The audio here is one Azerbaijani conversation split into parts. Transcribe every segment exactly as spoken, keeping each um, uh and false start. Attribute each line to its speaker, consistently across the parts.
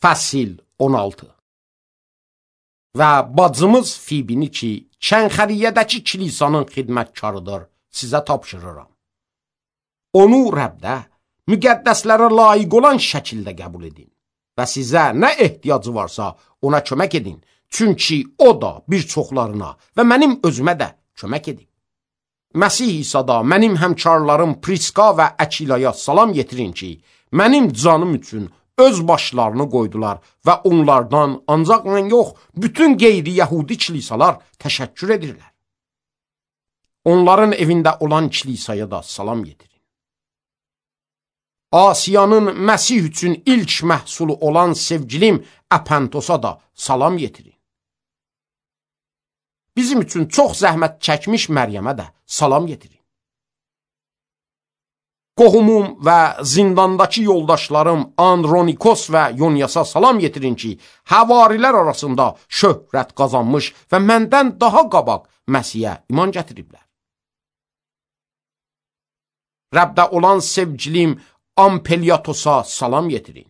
Speaker 1: Fəsil on altı. Və bacımız Fibini ki, Kənxəriyyədəki kilisanın xidmətkarıdır, sizə tapşırıram. Onu Rəbdə müqəddəslərə layiq olan şəkildə qəbul edin və sizə nə ehtiyacı varsa ona kömək edin, çünki o da bir çoxlarına və mənim özümə də kömək edin. Məsih İsa'da mənim həmkarlarım Priska və Əkilaya salam yetirin ki, mənim canım üçün öz başlarını qoydular və onlardan ancaq mən yox, bütün qeyri-yəhudi kilisalar təşəkkür edirlər. Onların evində olan kilisaya da salam yetirin. Asiyanın Məsih üçün ilk məhsulu olan sevgilim Əpəntosa da salam yetirin. Bizim üçün çox zəhmət çəkmiş Məryəmə də salam yetirin. Qohumum və zindandakı yoldaşlarım Andronikos və Yonyasa salam yetirin ki, həvarilər arasında şöhrət qazanmış və məndən daha qabaq Məsihə iman gətiriblər. Rəbdə olan sevgilim Ampeliatosa salam yetirin.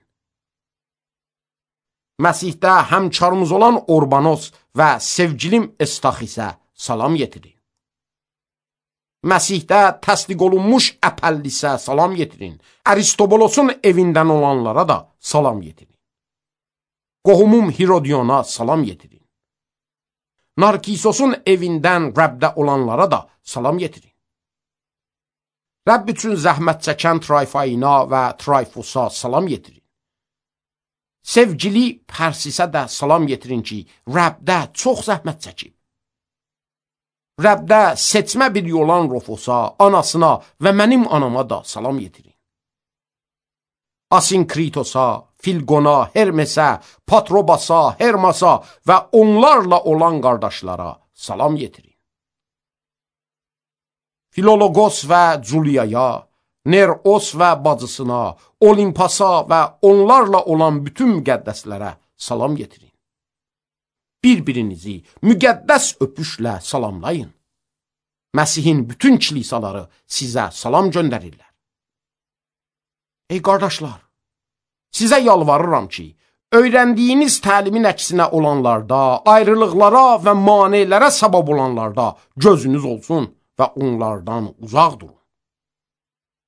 Speaker 1: Məsihdə həmkarımız olan Orbanos və sevgilim Estaxisə salam yetirin. Məsihdə təsdiq olunmuş Əpəllisə salam yetirin. Aristobolosun evindən olanlara da salam yetirin. Qohumum Hirodiyona salam yetirin. Narkisosun evindən Rəbdə olanlara da salam yetirin. Rəbb üçün zəhmət çəkən Trayfayina və Trayfosa salam yetirin. Sevgili Pərsisə də salam yetirin ki, Rəbdə çox zəhmət çəkib. Rəbdə seçmə bir olan Rofosa, anasına və mənim anama da salam yetirin. Asinkritos'a, Filgona, Hermesə, Patrobasa, Hermasa və onlarla olan qardaşlara salam yetirin. Filologos və Culiyaya, Neros və bacısına, Olimpasa və onlarla olan bütün müqəddəslərə salam yetirin. Bir-birinizi müqəddəs öpüşlə salamlayın. Məsihin bütün kilisaları sizə salam göndərirlər. Ey qardaşlar, sizə yalvarıram ki, öyrəndiyiniz təlimin əksinə olanlarda, ayrılıqlara və manelərə səbəb olanlarda gözünüz olsun və onlardan uzaq durun.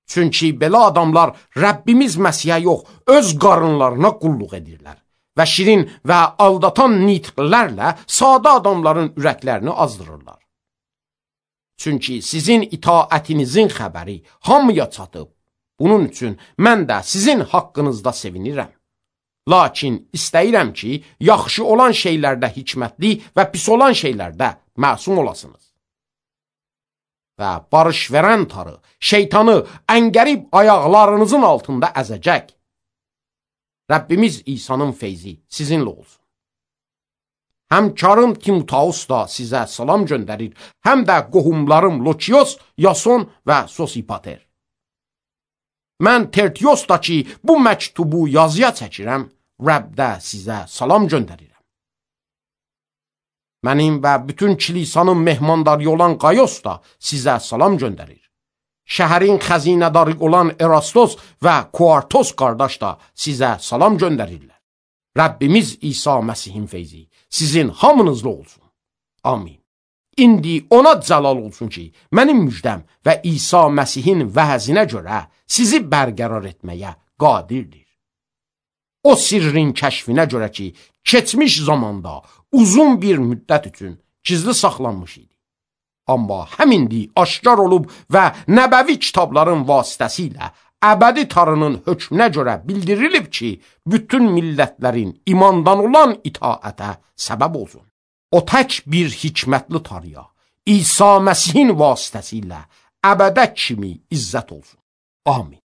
Speaker 1: Çünki belə adamlar Rəbbimiz Məsihə yox, öz qarınlarına qulluq edirlər və şirin və aldatan nitqlərlə sadə adamların ürəklərini azdırırlar. Çünki sizin itaətinizin xəbəri hamıya çatıb. Bunun üçün mən də sizin haqqınızda sevinirəm. Lakin istəyirəm ki, yaxşı olan şeylərdə hikmətli və pis olan şeylərdə məsum olasınız. Və barış verən tarı, şeytanı əngərib ayaqlarınızın altında əzəcək. Rəbbimiz İsa'nın feyzi sizinlə olsun. Həmkarım Timoteus da sizə salam göndərir, həm də qohumlarım Lokios, Yason və Sosipater. Mən Tertios da ki, bu məktubu yazıya çəkirəm, Rəbdə sizə salam göndərirəm. Mənim və bütün kilisanın mehmandarı olan Qayos da sizə salam göndərir. Şəhərin xəzinədarı olan Erastos və Kuartos qardaş da sizə salam göndərirlər. Rəbbimiz İsa Məsihin feyzi sizin hamınızla olsun. Amin. İndi ona cəlal olsun ki, mənim müjdəm və İsa Məsihin vəzinə görə sizi bərqərar etməyə qadirdir. O sirrin kəşfinə görə ki, keçmiş zamanda uzun bir müddət üçün gizli saxlanmış idi. Amma həmindi aşkar olub və nəbəvi kitabların vasitəsilə əbədi tarının hökmünə görə bildirilib ki, bütün millətlərin imandan olan itaətə səbəb olsun. O tək bir hikmətli tarıya, İsa Məsihin vasitəsilə əbədə kimi izzət olsun. Amin.